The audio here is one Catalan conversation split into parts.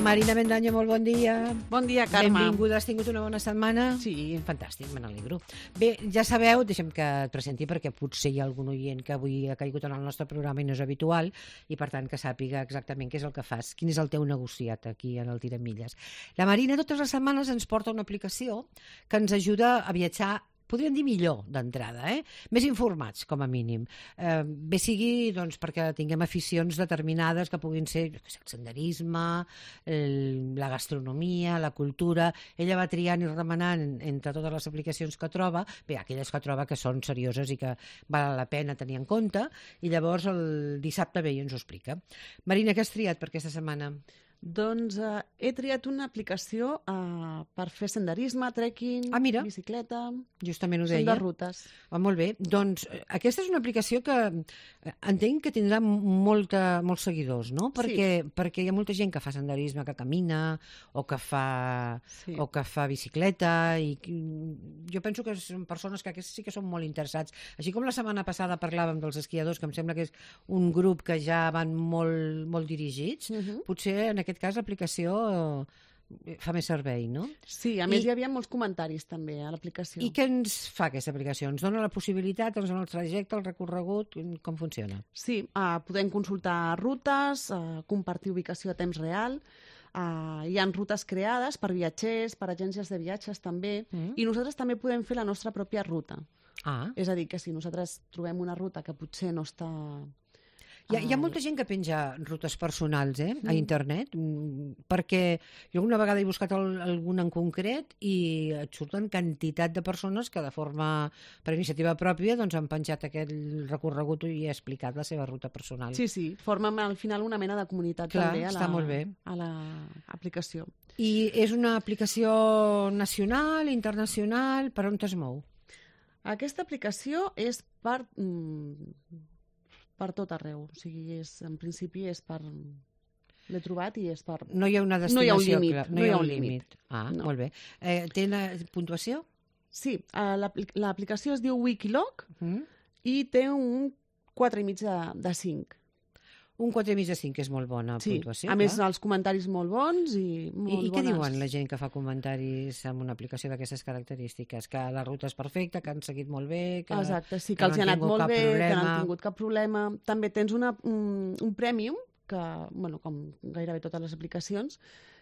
Marina Mendaño, molt bon dia. Bon dia, Carme. Benvinguda, has tingut una bona setmana? Sí. Fantàstic, me n'alegro. Bé, ja sabeu, deixem que et presenti perquè potser hi ha algun oient que avui ha caigut en el nostre programa i no és habitual i per tant que sàpiga exactament què és el que fas, quin és el teu negociat aquí en el Tiramilles. La Marina totes les setmanes ens porta una aplicació que ens ajuda a viatjar, podríem dir millor d'entrada, més informats, com a mínim. Bé sigui doncs, perquè tinguem aficions determinades que puguin ser el senderisme, la gastronomia, la cultura. Ella va triant i remenant entre totes les aplicacions que troba, bé, aquelles que troba que són serioses i que val la pena tenir en compte, i llavors el dissabte ve i ens ho explica. Marina, què has triat per aquesta setmana? Doncs he triat una aplicació per fer senderisme, trekking, bicicleta... Justament ho deia. Són de rutes. Molt bé. Doncs aquesta és una aplicació que entenc que tindrà molts seguidors, no? Perquè hi ha molta gent que fa senderisme, que camina o que fa bicicleta i jo penso que són persones que aquests sí que són molt interessats. Així com la setmana passada parlàvem dels esquiadors, que em sembla que és un grup que ja van molt dirigits, potser en aquest cas l'aplicació fa més servei, no? Sí, a més hi havia molts comentaris també a l'aplicació. I què ens fa aquesta aplicació? Ens dona la possibilitat, ens dona el trajecte, el recorregut, com funciona? Sí, podem consultar rutes, compartir ubicació a temps real, hi ha rutes creades per viatgers, per agències de viatges també, i nosaltres també podem fer la nostra pròpia ruta. És a dir, que si nosaltres trobem una ruta que potser no està... Hi ha molta gent que penja rutes personals a internet, perquè jo alguna vegada he buscat alguna en concret i et surten quantitat de persones que de forma per iniciativa pròpia doncs han penjat aquest recorregut i ha explicat la seva ruta personal. Sí, formen al final una mena de comunitat també a l'aplicació. I és una aplicació nacional, internacional, per on es mou? Aquesta aplicació és per tot arreu, o sigui, en principi és per... L'he trobat i és per... No hi ha una destinació, no hi ha un límit. Molt bé. Té una puntuació? Sí, l'aplicació es diu Wikiloc i té un 4,5 de 5. Un 4,5 de 5, que és molt bona puntuació. Sí, a més els comentaris molt bons i molt bones. I què diuen la gent que fa comentaris amb una aplicació d'aquestes característiques? Que la ruta és perfecta, que han seguit molt bé... Exacte, sí, que els ha anat molt bé, que no han tingut cap problema. També tens un Premium, que, com gairebé totes les aplicacions,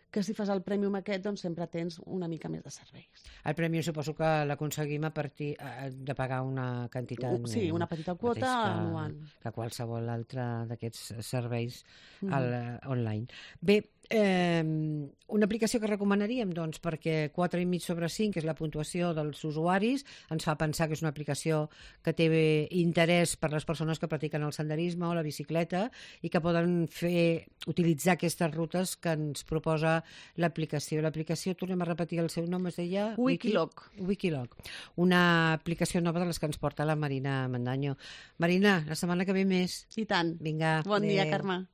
que si fas el Premium aquest, doncs sempre tens una mica més de serveis. El Premium suposo que l'aconseguim a partir de pagar una quantitat... Sí, una petita quota anual. Que qualsevol altre d'aquests serveis online. Bé, una aplicació que recomanaríem, doncs, perquè 4,5 sobre 5, que és la puntuació dels usuaris, ens fa pensar que és una aplicació que té interès per les persones que practiquen el senderisme o la bicicleta i que poden utilitzar aquestes rutes que ens proposa l'aplicació. L'aplicació, tornem a repetir el seu nom, es deia... Wikiloc. Wikiloc. Una aplicació nova de les que ens porta la Marina Mendaño. Marina, la setmana que ve més. I tant. Vinga. Bon dia, Carme.